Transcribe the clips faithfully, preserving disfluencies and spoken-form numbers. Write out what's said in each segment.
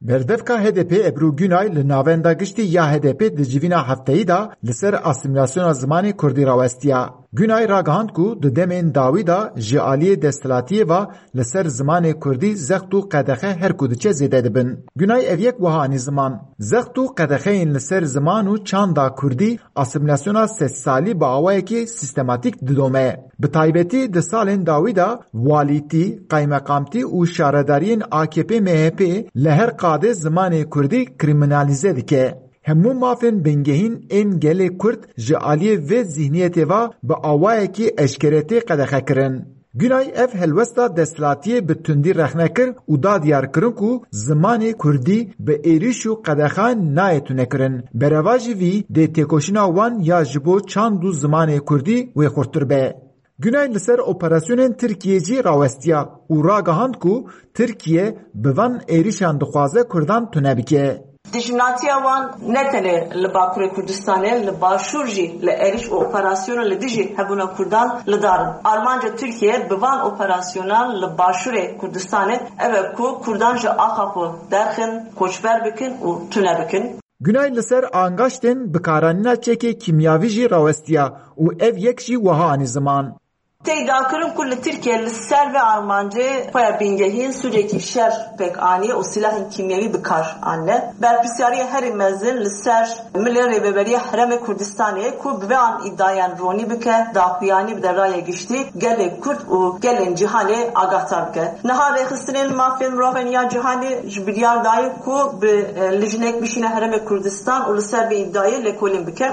Berdevka H D P Ebru Günay li navenda giştî ya H D P di civîna hefteyî de li ser asîmîlasyona zimanê kurdî rawestiya. Günay ragihand ku di demên dawî de ji aliyê desthilatiyê ve li ser zimanê kurdî zext û qedexe her ku diçe zêde dibin. Günay ev yek wiha anî ziman. Zext û qedexeyên li ser ziman û çanda kurdî asîmîlasyona sedsalî bi awayekî sîstematîk didome. Bi taybetî di salên dawî de walîtî, qaymeqamtî û şaredariyên A K P M H P li her qadê zimanê kurdî krîminalîze dike. Hemû mafên bingehîn ên gelê kurd ji aliyê vê zihniyetê ve bi awayekî eşkere tê qedexekirin. Günay ev helwesta desthilatiyê bi tundî rexne kir û da diyarkirin ku zimanê kurdî bi êrîş û qedexan nayê tunekirin. Berevajî vî dê têkoşîna wan ya ji bo çand û zimanê kurdî wê xurttir be. Günay li ser operasyonên Tirkiyê jî rawestiya û ragihand ku Tirkiye bi van êrîşan dixwaze kurdan tune bike. Dijminatiya wan ne tenê li Bakurê Kurdistanê, li Başûr jî li êrîş û operasyona li dijî hebûna kurdan li dar in. Armanca Tirkiye bi van operasyonan li Başûrê Kurdistanê ev e ku kurdan ji axa xwe derxin, koçber bikin û tune bikin. Günay li ser angaştên bikaranîna çekê kîmyavî jî rawestiya û ev yek jî wiha anî ziman. Tê dakirin ku li Tirkiye li ser vê armancê xwe ya bingehîn sûcekî şer pêk aniye û silahên kîmyewî bi kar anine. Berpirsyariya herî mezin li ser milê Rêveberiya Herêmê Kurdistanê ku bi vê an îdiayan ronî bike, daxuyanî bide raya giştî gelê Kurd û gelên cîhanê agahdar bike. Niha Rêxistinên Mafên Mirovan ya Cîhanê ji biryar daye ku bi, e, lijnek bişîne Herêmê Kurdistan û li ser vê îdiayê lêkolîn bike.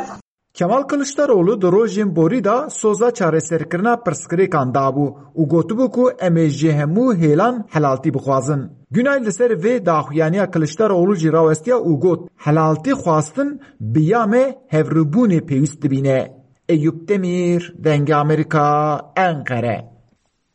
Kemal Kiliçdaroğlu di rojên borî de soza çareserkirina pirsgirêkan dabû û gotibû ku em ê ji hemû hêlan helaltî bixwazin. Günay li ser vê daxuyaniya Kiliçdaroğlu jî rawestiya û got, helaltî xwastin bi ya me hevrûbûnê pêwîst dibîne. Eyûp Demîr, Dengê Amerîka, Enqere.